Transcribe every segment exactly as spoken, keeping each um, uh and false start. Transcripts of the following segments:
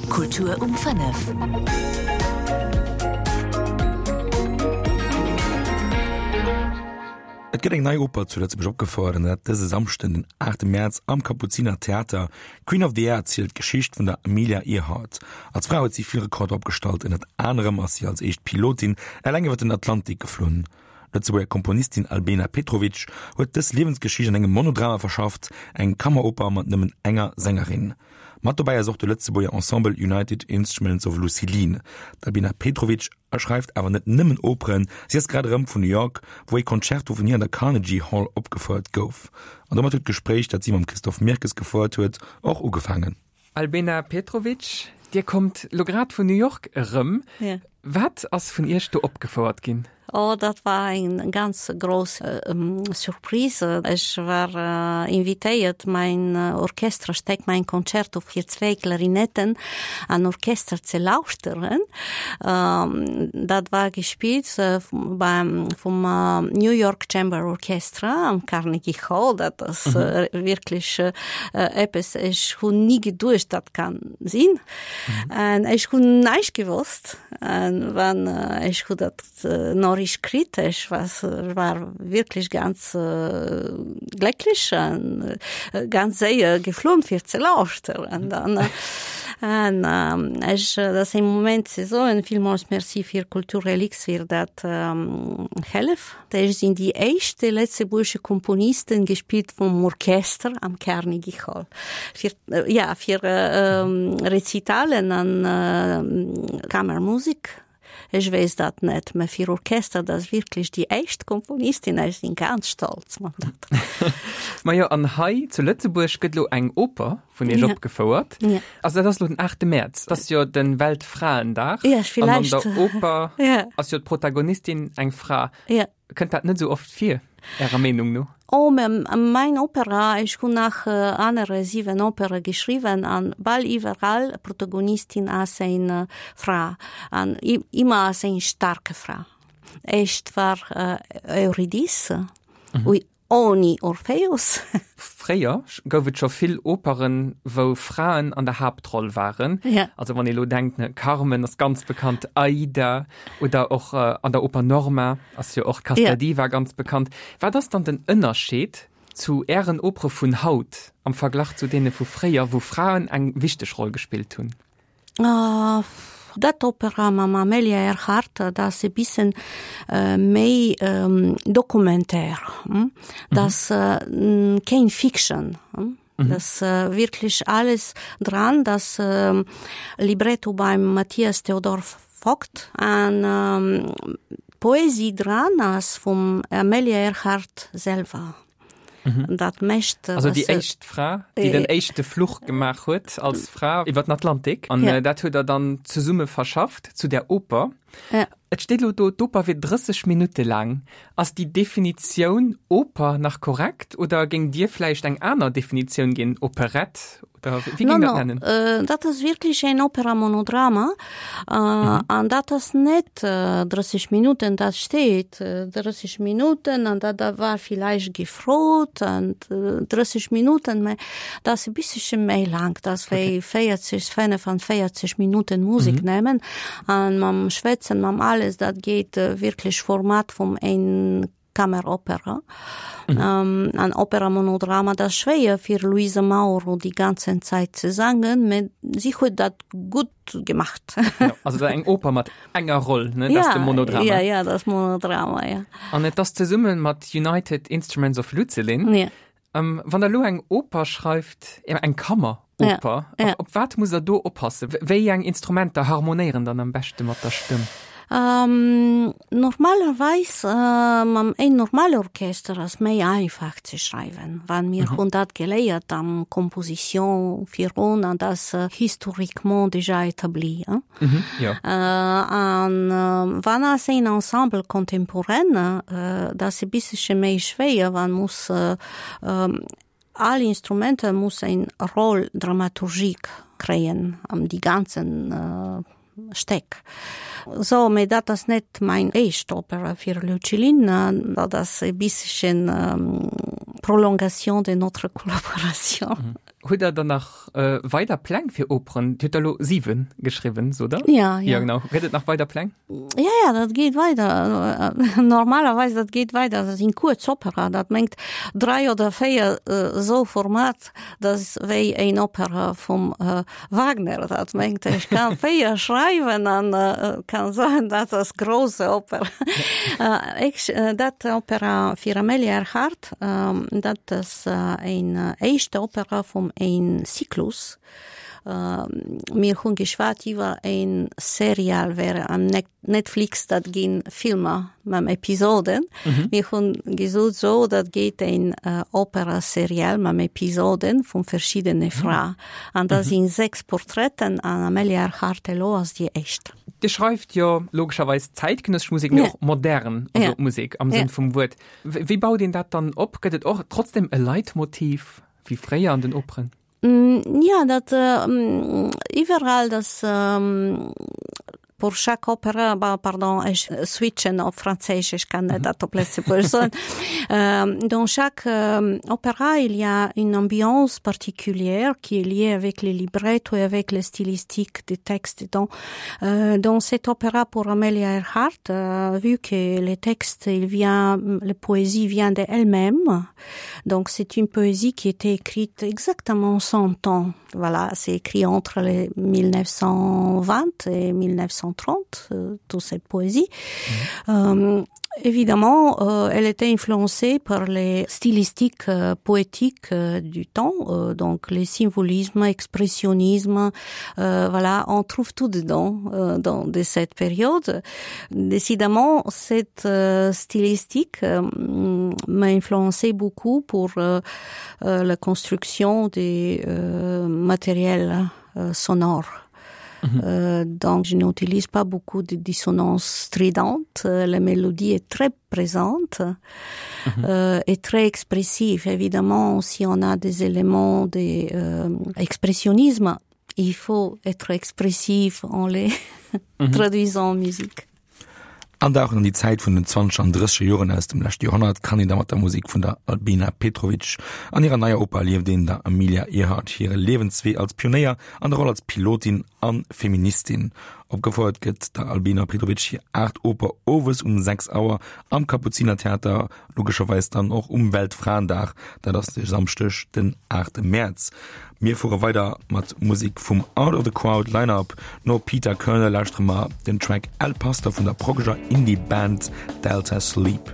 Kultur um fënnef. Et gëtt eng nei Oper zu Lëtzebuerg opgefouert, an dat dëse Samschden, den aachte Mäerz am Kapuziner Theater. Queen of the Air erzielt d'Geschicht vun der Amelia Earhart. Als Fra huet si vill Rekorder opgestallt, ënnert anerem ass si als éischt Pilotin eleng iwwer den Atlantik geflunn. D'Lëtzebuerger Komponistin Albena Petrovic huet dës Liewensgeschicht an engem Monodrama verschafft, eng Kammeroper mat nëmmen enger Sängerin. Mat dobäi ass och de Lëtzebuerger Ensemble United Instruments of Lucilin. D'Albena Petrovic schreift awer net nëmmen Operen, si ass grad erëm vun New York, wou ee Concerto vun hir an der Carnegie Hall opgefouert gouf. An domat huet d'Gespréich, dat si mam Christophe Mirkes gefouert huet, och ugefaangen. Albena Petrovic, Dir kommt lo grad vun New York erëm. Wat ass vun Iech do opgefouert ginn? Oh, dat war eng ganz grouss Surprise. Ech war invitéiert, mäin Orchesterstéck, mäin Concerto fir zwee Klarinetten an Orchester ze lauschteren. Dat war gespillt beim, vum New York Chamber Orchestra am Carnegie Hall. Dat ass wierklech eppes, ech hunn ni geduecht, dat kann sinn. An ech hunn näischt gewosst. An wann ech hu dat Noriicht kritt, ech was war wierklech ganz glécklech an ganz séier geflunn fir ze lauschteren dann. An ech dat ass e Moment ze soen, villmools Merci fir Kulturrelix fir dat Hëllef. Ech sinn déi éischt lëtzebuergesche Komponisten gespillt vum Orchester am Carnegie Hall. Fir ja fir Rezitalen an Kammermusik. Ech weess dat net, mä fir Orchester, dat ass wierklech déi éischt Komponistin, ech sinn ganz stolz mat dat. Majo, an hei zu Lëtzebuerg gëtt elo eng Oper vun Iech opgefouert. Also dat ass elo den aachte Mäerz, dat ass jo de Weltfraendag. An an der Oper ass jo d'Protagonistin eng Fra. Kënnt dat net esou oft vir, Ärer Meenung no? Oh, mein Opera, ech hunn nach anere siwen Opere geschriwwen an bal iwwerall Protagonistin ass eng Fra an ëmmer ass eng starke Fra. Éischt war Eurydice, mhm. Oni Orpheus. Fréier gouf et scho vill Operen, wou Fraen an der Haaptroll waren. Ja. Also wann ee lo denkt, ne, Carmen ass ganz bekannt, Aida oder och an der Oper Norma ass jo och Casta Diva ganz bekannt. Wat ass dann den Ënnerscheed zu Ären Opere vun haut am Verglach zu deene vu fréier, wou Fraen eng wichteg Roll gespillt hunn? Dat Opera mam Amelia Earhart, dat ass e bissen méi documentaire, dat ass keng Fiction. Dat ass wierklech alles dran, dat Libretto beim Mathias Theodor Vogt an d'Poesie dran ass vum Amelia Earhart selwer. Mhm. Dat mécht. Also déi éischt Fra, déi den éischte Fluch gemaach huet als Fra iwwer den Atlantik. An ja. dat huet der dann zesumme verschafft zu der Oper. Ja. Et steet elo do, d'Oper wier drësseg Minutte laang. Ass déi Definitioun Oper nach korrekt oder géingt Dir vläicht eng aner Definitioun ginn, Operett oder wéi géingt Der dat nennen? No, no, dat ass wierklech en Opera Monodrama. An dat ass net drësseg Minutten, dat steet drësseg Minutten an dat da war villäicht gefrot an drësseg Minutten, mä dat ass e bissche méi laang, dat ass wéi véierzeg, fënnefenvéierzeg Minutten Musek nëmmen an mam Schwätzen, mam alles, dat geet wierklech Format vum en Kammeropera. Mhm. An Opera Monodrama, dat ass schwéier fir Luisa Mauro déi ganzen Zäit ze sangen, mä si huet dat gutt gemacht. Ja, also dat eng Oper mat enger Roll, ne? Dat ass de Monodrama. Ja, ja, dat ass Monodrama, ja. An et ass zesumme mat United Instruments of Lucilin. Ja. Ähm, wann der lo eng Oper schreift, eng Kammeroper, ja, ja. Op, op wat muss der do oppassen? Wéi eng Instrumenter harmonéieren dann am beschte mat der Stëmm? Ähm, normalerweis äh, mam een normale Orchester ass méi einfach ze schreiwen, wann mir mhm. hunn dat geléiert am Composition virun an das äh, historiquement déjà établi. Hein? Mhm, ja. Äh, an äh, wann ass een Ensemble contemporain, äh, dat e bissche méi schwéier, wann muss äh, äh, all Instrumenter muss eng Roll dramaturgique kréien am die ganzen äh, Stéck. So, mee dat ass net mein éischt Opera fir Lucilin, dat ass e bisschen ähm, Prolongation de notre collaboration. Mhm. Hutt der dann nach äh, weider Pläng fir Operen? Dir hutt der elo siwen geschriwwen, sot der? Ja, ja. Ja, genau. Gëtt et nach weider Pläng? Ja, ja, dat geet weider. Normalerweis dat geet weider. Dat sinn kuerz Opera. Dat mengt dräi oder véier äh, sou Format, dat ass wéi eng Opera vum äh, Wagner. Dat mengt ech kann véier schreiwen an äh, kann soen, dat ass grouse Opera. äh, ech, äh, dat Opera fir Amelia Earhart, äh, dat ass äh, eng äh, éischte Opera vum een Zyklus. Äh, mir hunn geschwat iwwer een Serial wär am Netflix dat ginn Filmer mam Episoden. Mhm. Mir hunn gesot so dat geet een äh, Opera Serial mam Episoden vun verschiddene mhm. Fra. An dat mhm. sinn sechs Porträten an Amelia Earhart elo ass déi éischt. Dir schreift jo logescherweis zäitgenëssesch Musek, mee ja. och modern also ja. Musek am Sënn ja. vum Wuert. Wéi baut een dat dann op? Gëtt et och trotzdem e Leitmotiv wéi fréier an den Operen? Mm, ja, dat äh, iwwerall das ähm, pour chaque opera bah, pardon ech switchen op Franséisch ech kann net mhm. dat op Lëtzebuergesch soen. euh, dans chaque euh, opéra il y a une ambiance particulière qui est liée avec les librettos et avec les stylistiques des textes dans euh, dans cet opéra pour Amelia Earhart euh, vu que les textes il vient la poésie vient d'elle-même donc c'est une poésie qui était écrite exactement cent ans voilà c'est écrit entre les mille neuf cent vingt et mille neuf cent trente euh, toute cette poésie mmh. euh, évidemment euh, elle était influencée par les stylistiques euh, poétiques euh, du temps euh, donc les symbolismes expressionnisme euh, voilà on trouve tout dedans euh, dans de cette période décidément cette euh, stylistique euh, m'a influencé beaucoup pour euh, euh, la construction des euh, matériels euh, sonores Mhm. Euh, donc je n'utilise pas beaucoup de dissonances stridentes. Euh, la mélodie est très présente mhm. euh, et très expressive. Évidemment, si on a des éléments d'expressionnisme, euh, il faut être expressif en les mhm. traduisant en musique. Andauchen an déi Zäit vun den zwanzeger an drësseger Joren aus dem leschte Joerhonnert kann een da mat der Musek vun der Albina Petrovic. An hirer neier Oper erlieft een der Amelia Earhart hire Liewenswee als Pionéier an der Roll als Pilotin an Feministin. Opgefouert gëtt der Albina Petrovic hir aacht Oper owes um sechs Auer am Kapuzinertheater, logescherweis dann och um Weltfraendag, dat ass de Samschdeg den aachte Mäerz. Mir fuere weider mat Musek vum Out of the Crowd Line-Up. No Peter Körner lauschtere mer den Track El Pastor vun der proggeger Indie-Band Delta Sleep.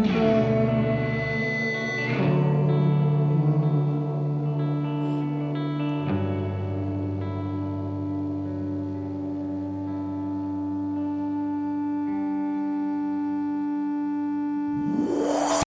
Musik